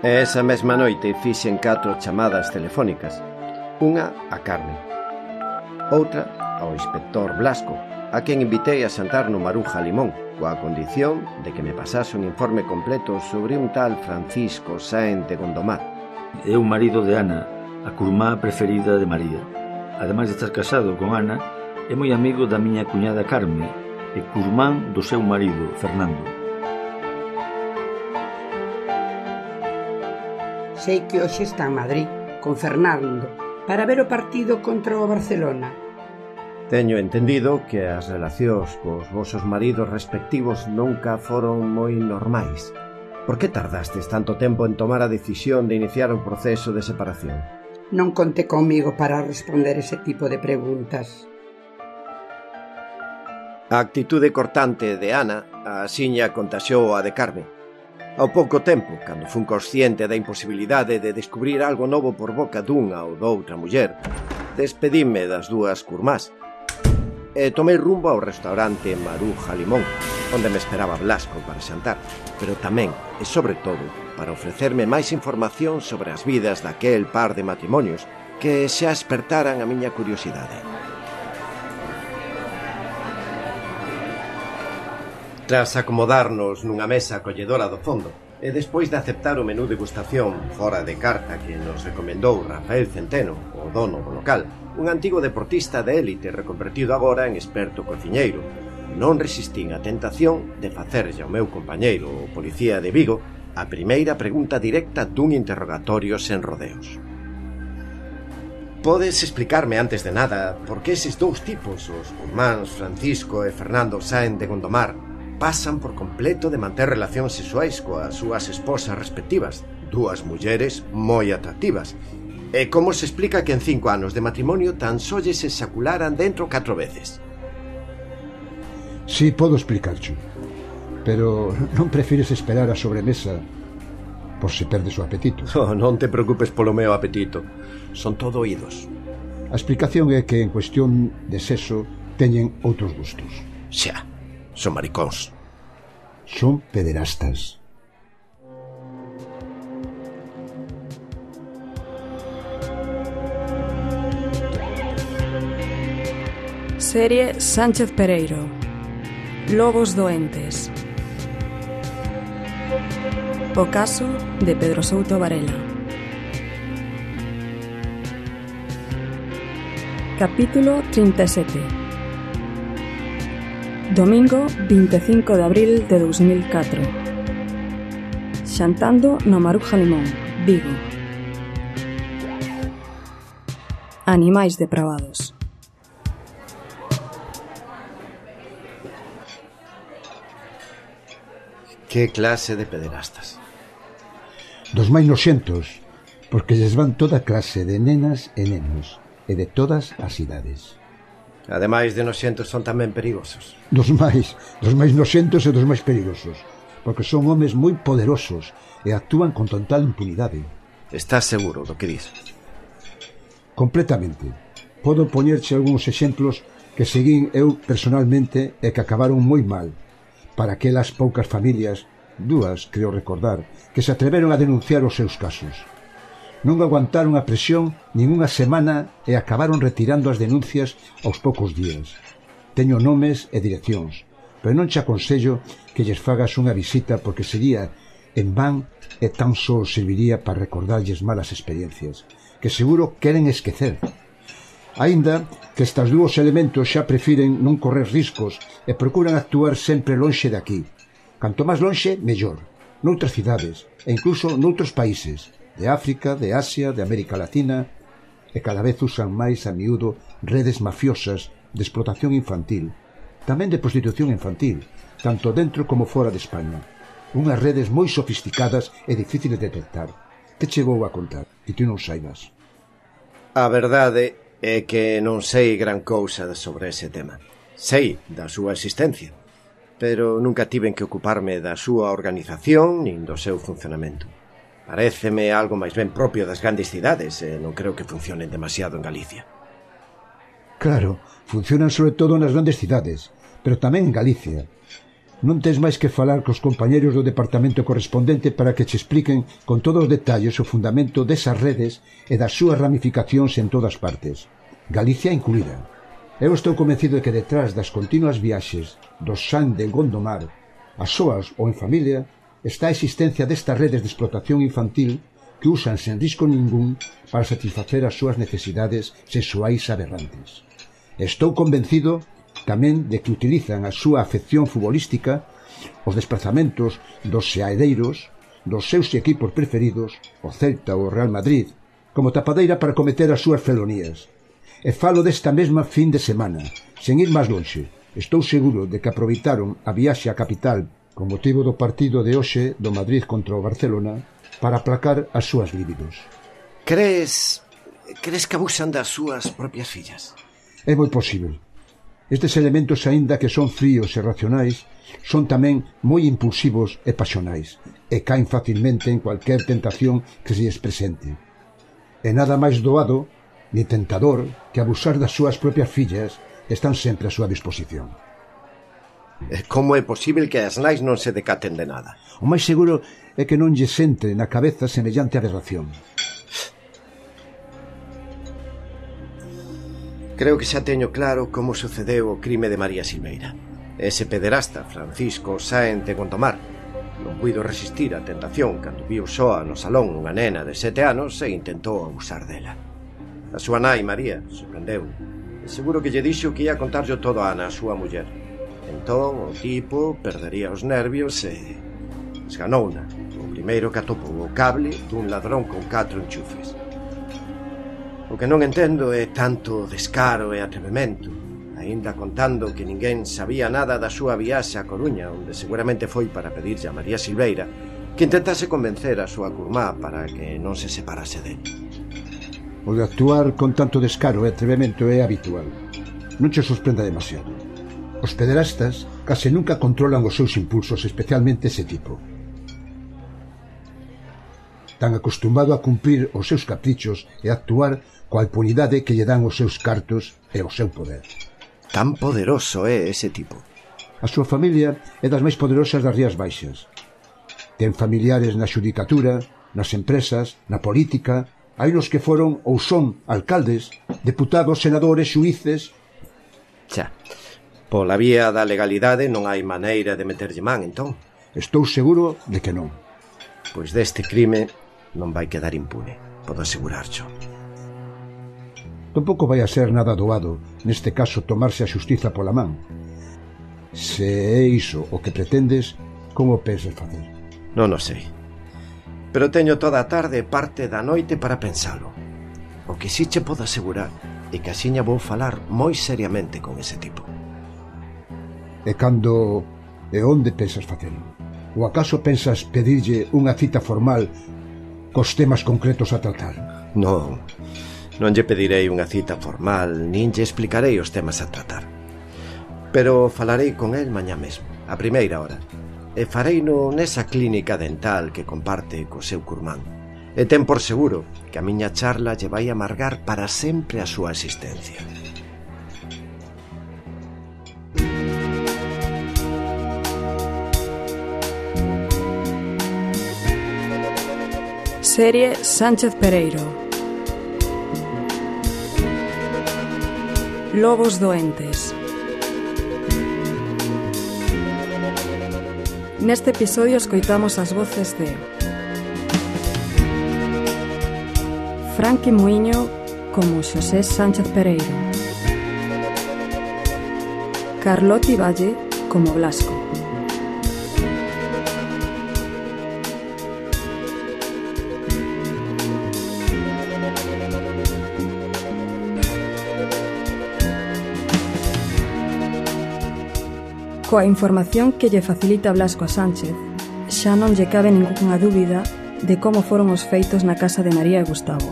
E esa mesma noite fixen 4 chamadas telefónicas. Unha a Carmen, outra ao inspector Blasco, a quen invitei a xantar no Maruja Limón, coa condición de que me pasase un informe completo sobre un tal Francisco Sáenz de Gondomar. É o marido de Ana, a curmá preferida de María. Ademais de estar casado con Ana, é moi amigo da miña cuñada Carme e curmán do seu marido, Fernando. Sei que hoxe está en Madrid, con Fernando, para ver o partido contra o Barcelona. Teño entendido que as relacións cos vosos maridos respectivos nunca foron moi normais. Por que tardastes tanto tempo en tomar a decisión de iniciar o proceso de separación? Non conte comigo para responder ese tipo de preguntas. A actitude cortante de Ana axiña contaxou a de Carmen. Ao pouco tempo, cando fun consciente da imposibilidade de descubrir algo novo por boca dunha ou doutra muller, despedime das dúas curmás e tomei rumbo ao restaurante Maruja Limón, onde me esperaba Blasco para xantar, pero tamén, e sobre todo, para ofrecerme máis información sobre as vidas daquel par de matrimonios que xa espertaran a miña curiosidade. Tras acomodarnos nunha mesa acolledora do fondo e despois de aceptar o menú degustación fora de carta que nos recomendou Rafael Centeno, o dono do local, un antigo deportista de élite reconvertido agora en experto cociñeiro, non resistín a tentación de facerlle ao meu compañeiro, o policía de Vigo, a primeira pregunta directa dun interrogatorio sen rodeos. Podes explicarme antes de nada por que eses dous tipos, os curmáns Francisco e Fernando Sáenz de Gondomar, pasan por completo de manter relacións sexuais coas súas esposas respectivas, dúas mulleres moi atractivas? E como se explica que en 5 anos de matrimonio tan só lles exacularan dentro 4 veces? Sí, podo explicarcho, pero non prefires esperar a sobremesa por se perdes o apetito. Oh, non te preocupes polo meu apetito, son todo oídos. A explicación é que en cuestión de sexo teñen outros gustos. Xa, son maricóns. Son pederastas. Serie Sánchez Pereiro. Lobos doentes. O caso de Pedro Souto Varela. Capítulo 37. Domingo 25 de abril de 2004. Xantando no Maruja Limón, Vigo. Animais depravados. Que clase de pederastas? Dos máis noxentos, porque lles van toda clase de nenas e nenos, e de todas as idades. Ademais de noxentos, son tamén perigosos. Dos máis noxentos e dos máis perigosos, porque son homes moi poderosos e actúan con total impunidade. Estás seguro do que dis? Completamente. Podo poñerche algúns exemplos que seguín eu personalmente e que acabaron moi mal para aquelas poucas familias, dúas, creo recordar, que se atreveron a denunciar os seus casos. Non aguantaron a presión nin unha semana e acabaron retirando as denuncias aos poucos días. Teño nomes e direccións, pero non che aconsello que lles fagas unha visita porque sería en van e tan só serviría para recordarlles malas experiencias, que seguro queren esquecer. Aínda que estes dúos elementos xa prefiren non correr riscos e procuran actuar sempre lonxe de aquí. Canto máis lonxe, mellor. Noutras cidades e incluso noutros países, de África, de Asia, de América Latina, e cada vez usan máis a miúdo redes mafiosas de explotación infantil, tamén de prostitución infantil, tanto dentro como fora de España. Unhas redes moi sofisticadas e difíciles de detectar. Que che vou a contar, que ti non saibas? A verdade é que non sei gran cousa sobre ese tema. Sei da súa existencia, pero nunca tiven que ocuparme da súa organización nin do seu funcionamento. Paréceme algo máis ben propio das grandes cidades e non creo que funcionen demasiado en Galicia. Claro, funcionan sobre todo nas grandes cidades, pero tamén en Galicia. Non tens máis que falar cos compañeros do departamento correspondente para que che expliquen con todos os detalles o fundamento desas redes e das súas ramificacións en todas partes, Galicia incluída. Eu estou convencido de que detrás das continuas viaxes do San de Gondomar, a soas ou en familia, está a existencia destas redes de explotación infantil que usan sen risco ningún para satisfacer as súas necesidades sexuais aberrantes. Estou convencido tamén de que utilizan a súa afección futbolística, os desplazamentos dos seareiros, dos seus equipos preferidos, o Celta ou o Real Madrid, como tapadeira para cometer as súas felonías. E falo desta mesma fin de semana, sen ir máis lonxe. Estou seguro de que aproveitaron a viaxe á capital con motivo do partido de hoxe do Madrid contra o Barcelona para aplacar as súas libidos. Crees que abusan das súas propias fillas? É moi posible. Estes elementos, aínda que son fríos e racionais, son tamén moi impulsivos e pasionais, e caen facilmente en cualquier tentación que se lles presente. E nada máis doado ni tentador que abusar das súas propias fillas están sempre á súa disposición. Como é posible que as nais non se decaten de nada? O máis seguro é que non lles entre na cabeza semellante aberración. Creo que xa teño claro como sucedeu o crime de María Silveira. Ese pederasta, Francisco Sáenz de Gondomar, non puido resistir a tentación cando viu soa no salón unha nena de 7 anos e intentou abusar dela. A súa nai, María, sorprendeu. E seguro que lle dixo que ia contarlo todo a Ana, a súa muller. Entón, o tipo perdería os nervios e esganouna. O primeiro que atopou o cable dun ladrón con 4 enchufes. O que non entendo é tanto descaro e atrevemento, aínda contando que ninguén sabía nada da súa viaxe a Coruña, onde seguramente foi para pedirlle a María Silveira que intentase convencer a súa curmá para que non se separase dele. O de actuar con tanto descaro e atrevemento é habitual. Non che sorprenda demasiado. Os pederastas case nunca controlan os seus impulsos, especialmente ese tipo. Tan acostumado a cumprir os seus caprichos e a actuar coa impunidade que lle dan os seus cartos e o seu poder. Tan poderoso é ese tipo. A súa familia é das máis poderosas das Rías Baixas. Ten familiares na xudicatura, nas empresas, na política. Hai nos que foron ou son alcaldes, deputados, senadores, xuíces. Xa, pola vía da legalidade non hai maneira de meterlle man, entón. Estou seguro de que non. Pois deste crime non vai quedar impune, podo asegurarcho. Tampouco vai a ser nada doado, neste caso, tomarse a xustiza pola man. Se é iso o que pretendes, como pensas facer? Non o sei. Pero teño toda a tarde e parte da noite para pensalo. O que si che podo asegurar é que axiña vou falar moi seriamente con ese tipo. E cando e onde pensas facelo? Ou acaso pensas pedirlle unha cita formal cos temas concretos a tratar? Non lle pedirei unha cita formal, nin lle explicarei os temas a tratar. Pero falarei con el mañá mesmo, a primeira hora, e fareino nesa clínica dental que comparte co seu curmán. E ten por seguro que a miña charla lle vai amargar para sempre a súa existencia. Serie Sánchez Pereiro. Lobos doentes. Neste episodio escoitamos as voces de Franqui Muiño como Xosé Sánchez Pereiro, Carloti Valle como Blasco, coa información que lle facilita Blasco a Sánchez, xa non lle cabe ningunha dúbida de como foron os feitos na casa de María e Gustavo,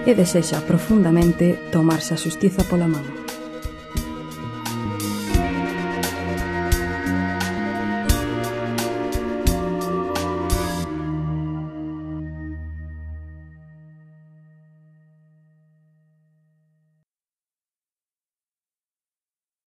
e desexa profundamente tomarse a xustiza pola man.